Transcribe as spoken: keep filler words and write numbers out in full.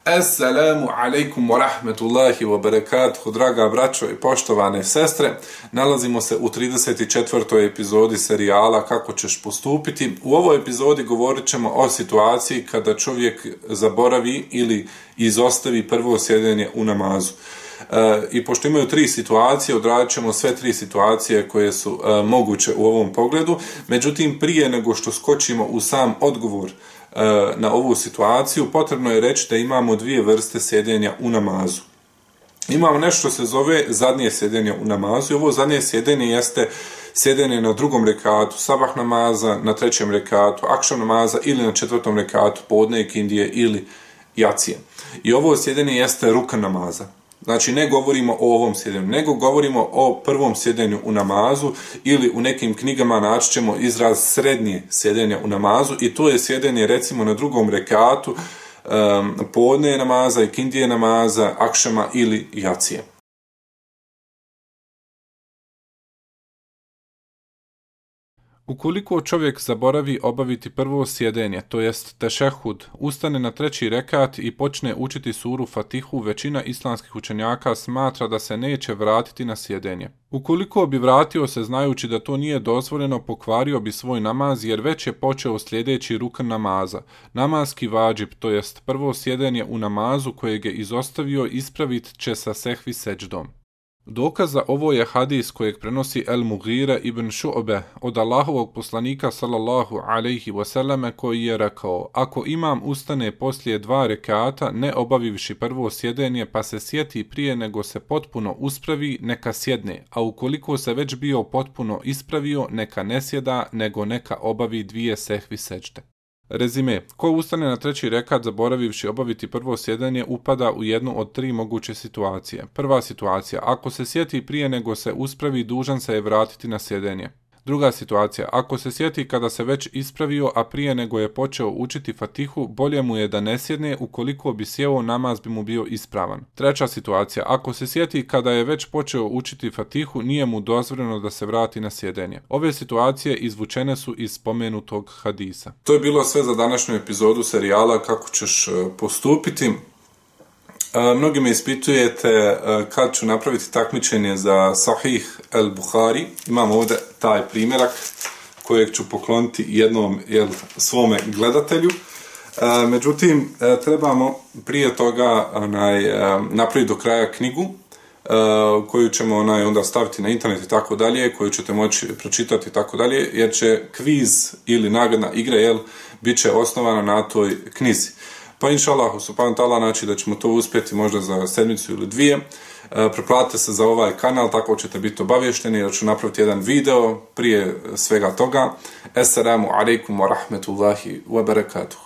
Assalamu alaikum wa rahmetullahi wa barakatuhu, draga braćo i poštovane sestre. Nalazimo se u trideset četvrtoj epizodi serijala Kako ćeš postupiti. U ovoj epizodi govorit ćemo o situaciji kada čovjek zaboravi ili izostavi prvo sjedenje u namazu. E, I pošto imaju tri situacije, odradit ćemo sve tri situacije koje su e, moguće u ovom pogledu. Međutim, prije nego što skočimo u sam odgovor na ovu situaciju, potrebno je reći da imamo dvije vrste sjedenja u namazu. Imamo nešto što se zove zadnje sjedenje u namazu i ovo zadnje sjedenje jeste sjedenje na drugom rekatu sabah namaza, na trećem rekatu akšam namaza ili na četvrtom rekatu podne ikindije ili jacije. I ovo sjedenje jeste rukan namaza. Znači, ne govorimo o ovom sjedenju, nego govorimo o prvom sjedenju u namazu ili u nekim knjigama naći ćemo izraz srednje sjedenja u namazu i to je sjedenje recimo na drugom rekatu um, podne namaza, ikindije namaza, akšama ili jacije. Ukoliko čovjek zaboravi obaviti prvo sjedenje, to jest tešehud, ustane na treći rekat i počne učiti suru Fatihu, većina islamskih učenjaka smatra da se neće vratiti na sjedenje. Ukoliko bi vratio se znajući da to nije dozvoljeno, pokvario bi svoj namaz jer već je počeo sljedeći rukan namaza. Namazki vadžib, to jest prvo sjedenje u namazu kojeg je izostavio, ispravit će sa sehvi seđdom. Dokaz za ovo je hadis kojeg prenosi El Mughira ibn Šu'be od Allahovog poslanika sallallahu alejhi ve selleme koji je rekao: ako imam ustane poslije dva rekata ne obavivši prvo sjedenje pa se sjeti prije nego se potpuno uspravi, neka sjedne, a ukoliko se već bio potpuno ispravio neka ne sjeda nego neka obavi dvije sehvi seđde. Rezime, ko ustane na treći rekat zaboravivši obaviti prvo sjedenje upada u jednu od tri moguće situacije. Prva situacija, ako se sjeti prije nego se uspravi, dužan se je vratiti na sjedenje. Druga situacija, ako se sjeti kada se već ispravio, a prije nego je počeo učiti Fatihu, bolje mu je da ne sjedne, ukoliko bi sjeo namaz bi mu bio ispravan. Treća situacija, ako se sjeti kada je već počeo učiti Fatihu, nije mu dozvoljeno da se vrati na sjedenje. Ove situacije izvučene su iz spomenutog hadisa. To je bilo sve za današnju epizodu serijala Kako ćeš postupiti. Mnogi me ispitujete kad ću napraviti takmičenje za Sahih el Buhari. Imam ovdje taj primjerak kojeg ću pokloniti jednom jel, svome gledatelju. Međutim, trebamo prije toga onaj, napraviti do kraja knjigu koju ćemo onaj, onda staviti na internet i tako dalje, koju ćete moći pročitati i tako dalje, jer će kviz ili nagradna igra jel, bit će osnovana na toj knjizi. Pa inša Allah, subhanahu ta'ala, znači da ćemo to uspjeti možda za sedmicu ili dvije. E, preplatite se za ovaj kanal, tako ćete biti obavješteni, jer ću napraviti jedan video prije svega toga. Assalamu alaikum wa rahmetullahi wa barakatuh.